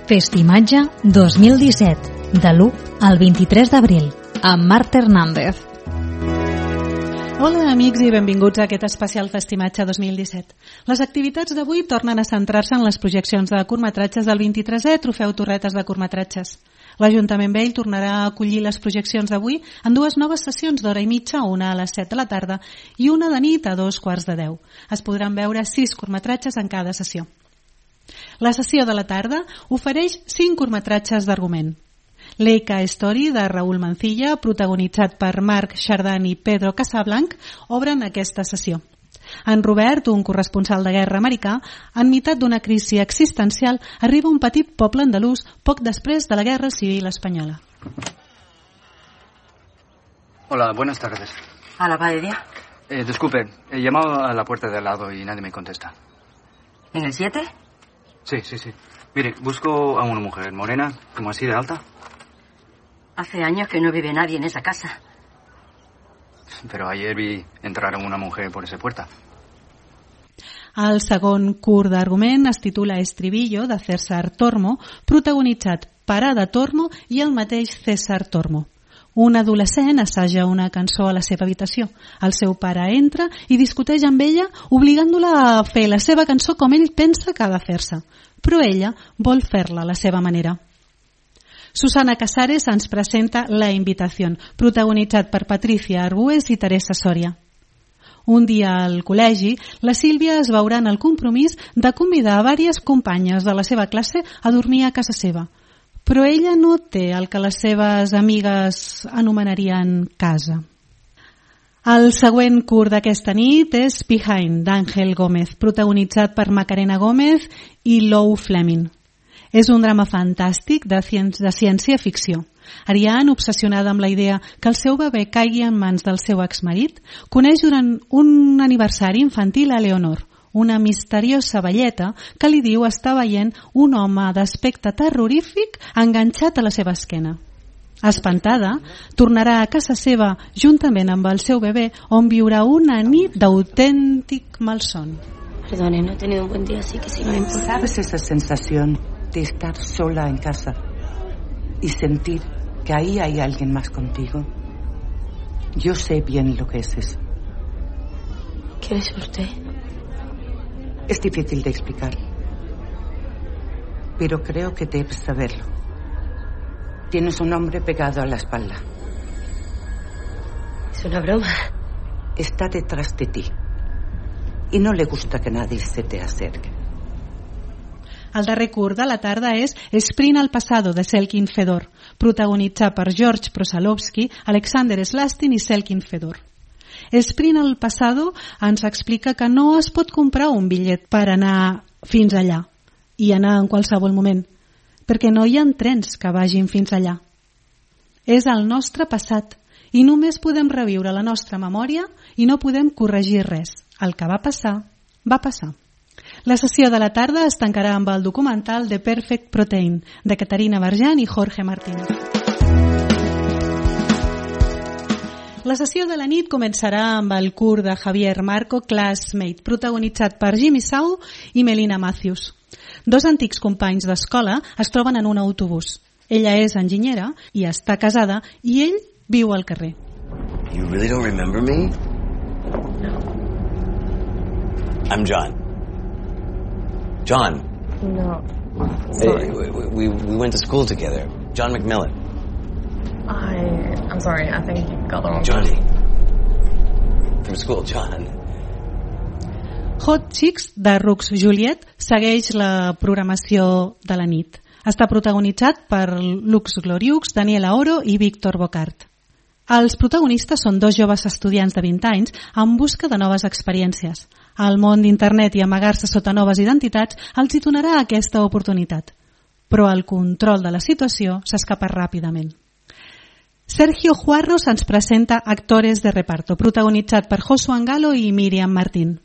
Festimatge 2017, de l'1 al 23 d'abril, amb Marta Hernández. Hola amics i benvinguts a aquest especial Festimatge 2017. Les activitats d'avui tornen a centrar-se en les projeccions de curtmetratges del 23è Trofeu Torretes de Curtmetratges. L'Ajuntament Vell tornarà a acollir les projeccions d'avui en dues noves sessions d'hora i mitja, una a les 7 de la tarda i una de nit a 2:15. Es podran veure 6 curtmetratges en cada sessió. La sessió de la tarda ofereix 5 curtmetratges d'argument. Leica Story, de Raúl Mancilla, protagonitzat per Marc Chardin i Pedro Casablanc, obren aquesta sessió. En Robert, un corresponsal de guerra americà, enmitat d'una crisi existencial, arriba a un petit poble andalús poc després de la Guerra Civil Espanyola. Hola, buenas tardes. ¿A la panadería? Disculpe, he llamado a la puerta de al lado y nadie me contesta. ¿En el 7? Sí. Mire, busco a una mujer morena, como así de alta. Hace años que no vive nadie en esa casa. Pero ayer vi entrar a una mujer por esa puerta. El segon curt d'argument es titula Estribillo, de César Tormo, protagonitzat per Ada Tormo i el mateix César Tormo. Un adolescent assaja una cançó a la seva habitació. El seu pare entra i discuteix amb ella, obligant-la a fer la seva cançó com ell pensa que ha de fer-se. Però ella vol fer-la a la seva manera. Susana Casares ens presenta La Invitació, protagonitzat per Patricia Arbues i Teresa Soria. Un dia al col·legi, la Sílvia es veurà en el compromís de convidar a diverses companyes de la seva classe a dormir a casa seva. Però ella no té el que les seves amigues anomenarien casa. El següent curt d'aquesta nit és Behind, d'Àngel Gómez, protagonitzat per Macarena Gómez i Lou Fleming. És un drama fantàstic de ciència-ficció. Ariane, obsessionada amb la idea que el seu bebè caigui en mans del seu exmarit, coneix durant un aniversari infantil a Leonor, una misteriosa velleta que li diu estar veient un home d'aspecte terrorífic enganxat a la seva esquena. Espantada, tornarà a casa seva juntament amb el seu bebè, on viurà una nit d'autèntic malson. Perdone, no he tenido un buen día, así que si no me importa. ¿Sabes esa sensación de estar sola en casa y sentir que ahí hay alguien más contigo? Yo sé bien lo que es eso. ¿Qué es usted? Es difícil de explicar, pero creo que debes saberlo. Tienes un hombre pegado a la espalda. Es una broma. Está detrás de ti y no le gusta que nadie se te acerque. El darrer curt de la tarda és Sprint al passado, de Selkin Fedor, protagonitzat per George Prosalovsky, Alexander Slastin i Selkin Fedor. Sprint al passado ens explica que no es pot comprar un bitllet per anar fins allà i anar en qualsevol moment, perquè no hi ha trens que vagin fins allà. És el nostre passat i només podem reviure la nostra memòria i no podem corregir res. El que va passar, va passar. La sessió de la tarda es tancarà amb el documental The Perfect Protein, de Caterina Barjan i Jorge Martínez. La sessió de la nit començarà amb el curt de Javier Marco, Classmate, protagonitzat per Jimmy Sau i Melina Matthews. Dos antics companys d'escola es troben en un autobús. Ella és enginyera i està casada i ell viu al carrer. You really don't remember me? No. I'm John. John. No. Sorry. We went to school together. John McMillan. I'm sorry, I think you got the wrong Johnny. From school, John. Hot Chicks, de Rux Juliet, segueix la programació de la nit. Està protagonitzat per Lux Gloriux, Daniela Oro i Víctor Bocart. Els protagonistes són dos joves estudiants de 20 anys en busca de noves experiències. El món d'internet i amagar-se sota noves identitats els hi donarà aquesta oportunitat. Però el control de la situació s'escapa ràpidament. Sergio Juarros ens presenta Actores de reparto, protagonitzat per Josu Angalo i Míriam Martín.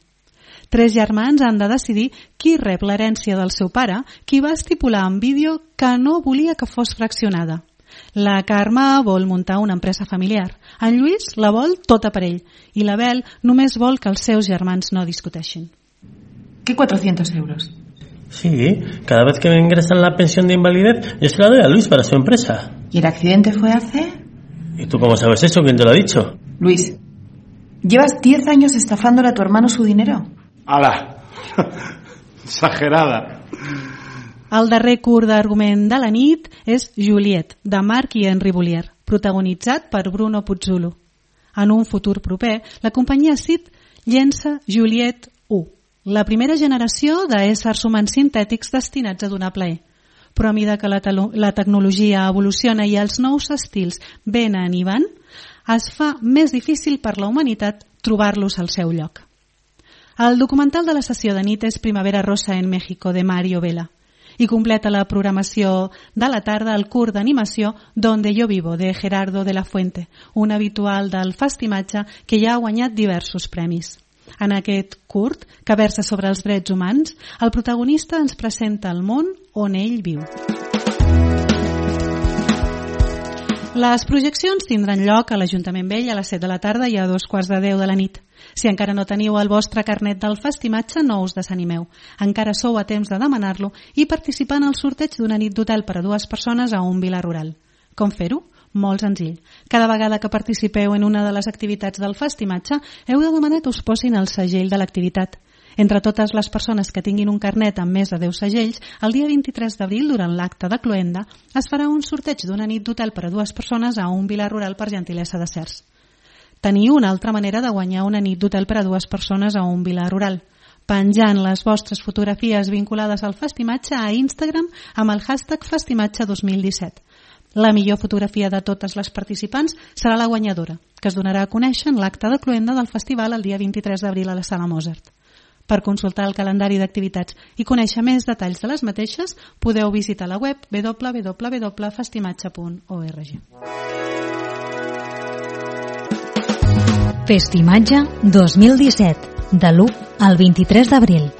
3 germans han de decidir qui rep l'herència del seu pare, qui va estipular en vídeo que no volia que fos fraccionada. La Carme vol muntar una empresa familiar. En Lluís la vol tota per ell i la Bel només vol que els seus germans no discuteixin. ¿Qué 400 euros? Sí, cada vez que me ingresan la pensión de invalidez, yo se la doy a Luis para su empresa. ¿Y el accidente fue hace? ¿Y tú cómo sabes eso? ¿Quién te lo ha dicho? Luis, ¿llevas 10 años estafándole a tu hermano su dinero? ¡Hala! Exagerada. El darrer curt d'argument de la nit és Juliet, de Marc i Henri Boulier, protagonitzat per Bruno Puzzolo. En un futur proper, la companyia SID llença Juliet 1, la primera generació d'éssers humans sintètics destinats a donar plaer. Però a mesura que la tecnologia evoluciona i els nous estils venen i van, es fa més difícil per la humanitat trobar-los al seu lloc. El documental de la sessió de nit és Primavera Rosa en México, de Mario Vela, i completa la programació de la tarda el curt d'animació Donde yo vivo, de Gerardo de la Fuente, un habitual del Festimatge que ja ha guanyat diversos premis. En aquest curt, que versa sobre els drets humans, el protagonista ens presenta el món on ell viu. Les projeccions tindran lloc a l'Ajuntament Vell a les 7 de la tarda i a 2:15 de la nit. Si encara no teniu el vostre carnet del Festimatge, no us desanimeu. Encara sou a temps de demanar-lo i participar en el sorteig d'una nit d'hotel per a 2 persones a un vila rural. Com fer-ho? Molt senzill. Cada vegada que participeu en una de les activitats del Festimatge, heu de demanar que us posin el segell de l'activitat. Entre totes les persones que tinguin un carnet amb més de 10 segells, el dia 23 d'abril, durant l'acte de cloenda, es farà un sorteig d'una nit d'hotel per a 2 persones a un vila rural per gentilesa de Cercs. Teniu una altra manera de guanyar una nit d'hotel per a 2 persones a un vila rural, penjant les vostres fotografies vinculades al Festimatge a Instagram amb el hashtag Festimatge 2017. La millor fotografia de totes les participants serà la guanyadora, que es donarà a conèixer en l'acte de cloenda del festival el dia 23 d'abril a la Sala Mozart. Per consultar el calendari d'activitats i conèixer més detalls de les mateixes, podeu visitar la web www.festimatge.org. Festimatge 2017, de l'1 al 23 d'abril.